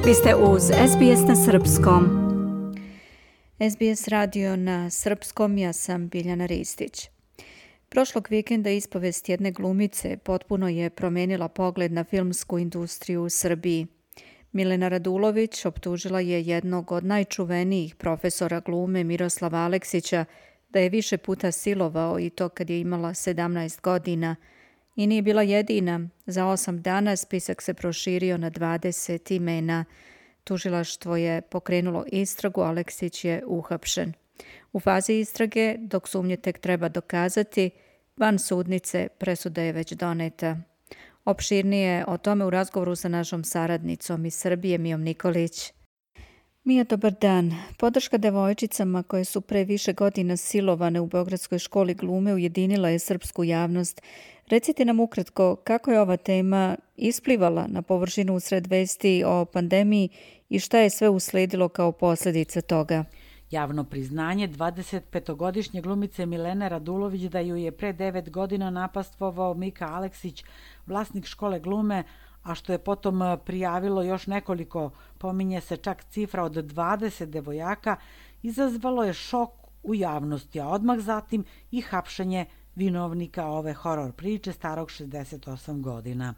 Vi ste uz SBS na Srpskom. SBS radio na Srpskom, ja sam Biljana Ristić. Prošlog vikenda ispovest jedne glumice potpuno je promenila pogled na filmsku industriju u Srbiji. Milena Radulović optužila je jednog od najčuvenijih profesora glume Miroslava Aleksića da je više puta silovao i to kad je imala 17 godina. I nije bila jedina. Za 8 dana spisak se proširio na 20 imena. Tužilaštvo je pokrenulo istragu, Aleksić je uhapšen. U fazi istrage, dok sumnje tek treba dokazati, van sudnice presuda je već doneta. Opširnije o tome u razgovoru sa našom saradnicom iz Srbije, Mijom Nikolić. Mija, dobar dan. Podrška devojčicama koje su pre više godina silovane u Beogradskoj školi glume ujedinila je srpsku javnost. Recite nam ukratko kako je ova tema isplivala na površinu usred vesti o pandemiji i šta je sve usledilo kao posljedica toga. Javno priznanje 25-godišnje glumice Milene Radulović da ju je pre 9 godina napastvovao Mika Aleksić, vlasnik škole glume, a što je potom prijavilo još nekoliko, pominje se čak cifra od 20 devojaka, izazvalo je šok u javnosti, a odmah zatim i hapšenje vinovnika ove horor priče starog 68 godina.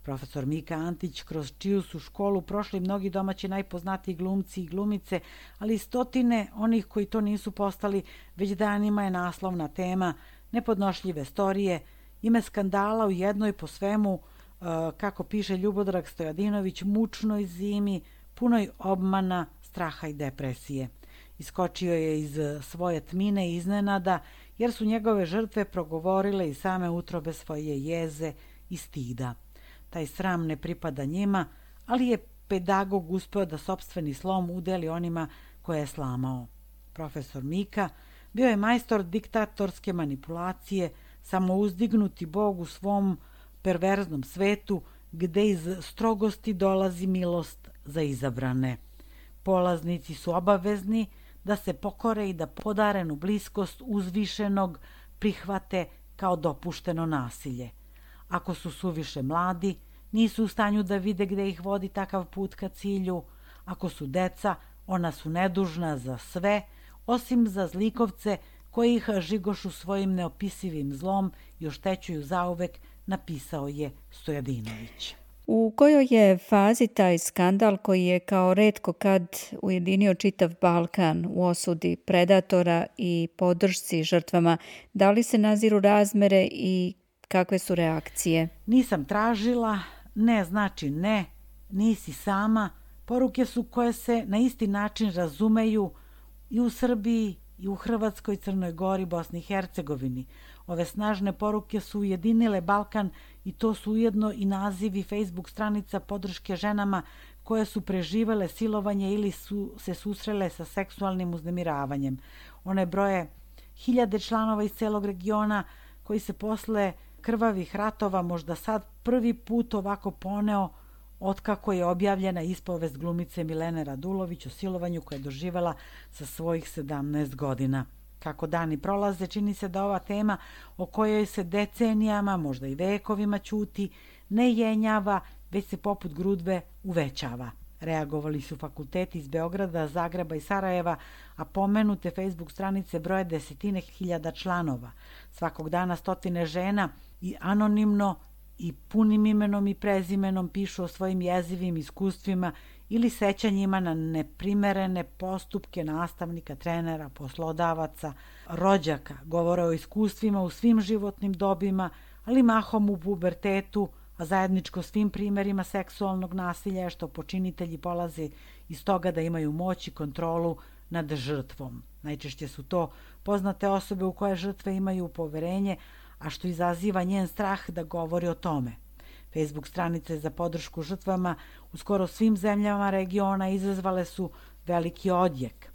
Profesor Mika Antić, kroz čiju su školu prošli mnogi domaći najpoznatiji glumci i glumice, ali i stotine onih koji to nisu postali, već danima je naslovna tema nepodnošljive storije, ime skandala u jednoj po svemu, kako piše Ljubodrag Stojadinović, mučnoj zimi, punoj obmana, straha i depresije. Iskočio je iz svoje tmine i iznenada, jer su njegove žrtve progovorile i same utrobe svoje jeze i stida. Taj sram ne pripada njima, ali je pedagog uspeo da sopstveni slom udeli onima koje je slamao. Profesor Mika bio je majstor diktatorske manipulacije, samouzdignuti bog u svom perverznom svetu, gde iz strogosti dolazi milost za izabrane. Polaznici su obavezni da se pokore i da podarenu bliskost uzvišenog prihvate kao dopušteno nasilje. Ako su suviše mladi, nisu u stanju da vide gde ih vodi takav put ka cilju. Ako su deca, ona su nedužna za sve, osim za zlikovce koji ih žigošu svojim neopisivim zlom i oštećuju zauvek, napisao je Stojadinović. U kojoj je fazi taj skandal koji je kao retko kad ujedinio čitav Balkan u osudi predatora i podršci žrtvama? Da li se naziru razmere i kakve su reakcije? Nisam tražila, ne znači ne, nisi sama. Poruke su koje se na isti način razumeju i u Srbiji, i u Hrvatskoj, Crnoj Gori, Bosni i Hercegovini. Ove snažne poruke su ujedinile Balkan i to su ujedno i nazivi Facebook stranica podrške ženama koje su preživele silovanje ili su se susrele sa seksualnim uznemiravanjem. One broje hiljade članova iz celog regiona koji se posle krvavih ratova možda sad prvi put ovako poneo otkako je objavljena ispovest glumice Milene Radulović o silovanju koje je doživela sa svojih 17 godina. Kako dani prolaze, čini se da ova tema o kojoj se decenijama, možda i vekovima ćuti, ne jenjava, već se poput grudve uvećava. Reagovali su fakulteti iz Beograda, Zagreba i Sarajeva, a pomenute Facebook stranice broje desetine hiljada članova. Svakog dana stotine žena i anonimno i punim imenom i prezimenom pišu o svojim jezivim iskustvima ili sećanjima na neprimerene postupke nastavnika, trenera, poslodavaca, rođaka. Govore o iskustvima u svim životnim dobima, ali mahom u pubertetu, a zajedničko svim primerima seksualnog nasilja je što počinitelji polaze iz toga da imaju moć i kontrolu nad žrtvom. Najčešće su to poznate osobe u koje žrtve imaju poverenje, a što izaziva njen strah da govori o tome. Facebook stranice za podršku žrtvama u skoro svim zemljama regiona izazvale su veliki odjek.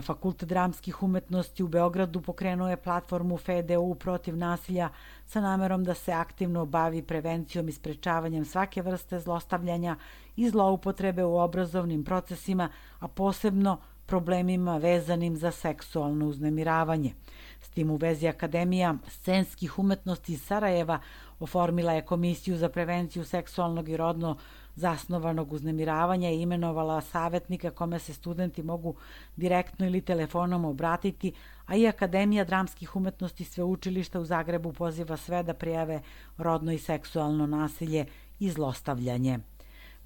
Fakultet dramskih umetnosti u Beogradu pokrenuo je platformu FDU protiv nasilja sa namerom da se aktivno bavi prevencijom i sprečavanjem svake vrste zlostavljanja i zloupotrebe u obrazovnim procesima, a posebno problemima vezanim za seksualno uznemiravanje. S tim u vezi Akademija scenskih umetnosti iz Sarajeva oformila je Komisiju za prevenciju seksualnog i rodno zasnovanog uznemiravanja i imenovala savjetnika kome se studenti mogu direktno ili telefonom obratiti, a i Akademija dramskih umetnosti Sveučilišta u Zagrebu poziva sve da prijave rodno i seksualno nasilje i zlostavljanje.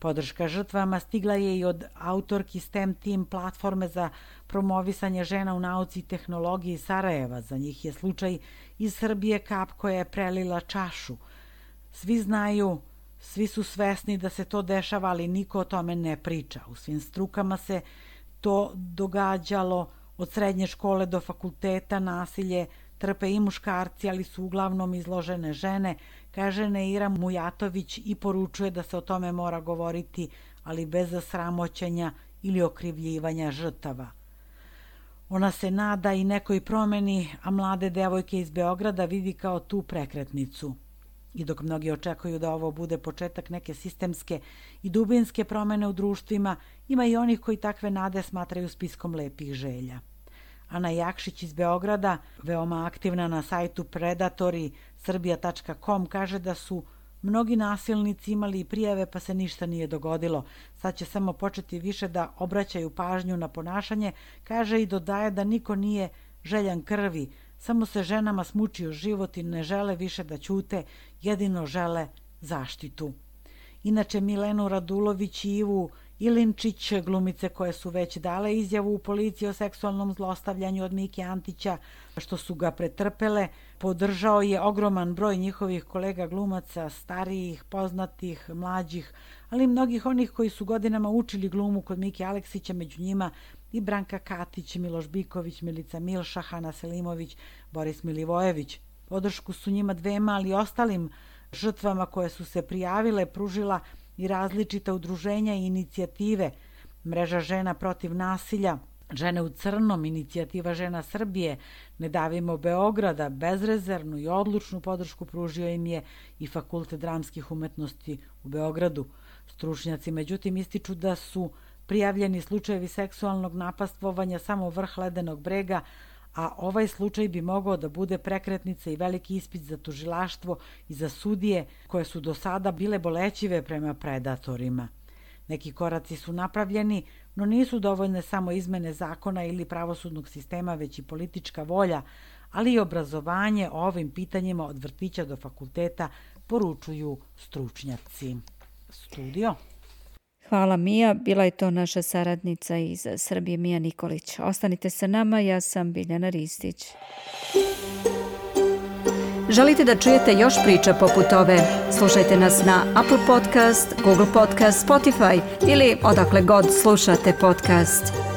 Podrška žrtvama stigla je i od autorki STEM Team platforme za promovisanje žena u nauci i tehnologiji Sarajeva. Za njih je slučaj iz Srbije kap koja je prelila čašu. Svi znaju, svi su svesni da se to dešava, ali niko o tome ne priča. U svim strukama se to događalo, od srednje škole do fakulteta. Nasilje trpe i muškarci, ali su uglavnom izložene žene, kaže Neira Mujatović i poručuje da se o tome mora govoriti, ali bez sramoćenja ili okrivljivanja žrtava. Ona se nada i nekoj promeni, a mlade devojke iz Beograda vidi kao tu prekretnicu. I dok mnogi očekuju da ovo bude početak neke sistemske i dubinske promene u društvima, ima i onih koji takve nade smatraju spiskom lepih želja. Ana Jakšić iz Beograda, veoma aktivna na sajtu predatori.srbija.com, kaže da su mnogi nasilnici imali prijave pa se ništa nije dogodilo. Sad će samo početi više da obraćaju pažnju na ponašanje, kaže i dodaje da niko nije željan krvi, samo se ženama smučio život i ne žele više da ćute, jedino žele zaštitu. Inače, Milenu Radulović i Ivu Ilinčić, glumice koje su već dale izjavu u policiji o seksualnom zlostavljanju od Mike Antića, što su ga pretrpele, podržao je ogroman broj njihovih kolega glumaca, starijih, poznatih, mlađih, ali i mnogih onih koji su godinama učili glumu kod Mike Aleksića, među njima i Branka Katić, Miloš Biković, Milica Milša, Hana Selimović, Boris Milivojević. Podršku su njima dvema, ali i ostalim žrtvama koje su se prijavile pružila i različita udruženja i inicijative. Mreža žena protiv nasilja, Žene u crnom, inicijativa žena Srbije, Ne davimo Beograda, bezrezervnu i odlučnu podršku pružio im je i Fakultet dramskih umetnosti u Beogradu. Stručnjaci međutim ističu da su prijavljeni slučajevi seksualnog napastvovanja samo vrh ledenog brega, a ovaj slučaj bi mogao da bude prekretnica i veliki ispit za tužilaštvo i za sudije koje su do sada bile bolećive prema predatorima. Neki koraci su napravljeni, no nisu dovoljne samo izmene zakona ili pravosudnog sistema, već i politička volja, ali i obrazovanje o ovim pitanjima od vrtića do fakulteta, poručuju stručnjaci. Studio. Hvala Mija, bila je to naša saradnica iz Srbije Mija Nikolić. Ostanite sa nama, ja sam Biljana Ristić. Želite da čujete još priča poput ove? Slušajte nas na Apple Podcast, Google Podcast, Spotify ili odakle god slušate podcast.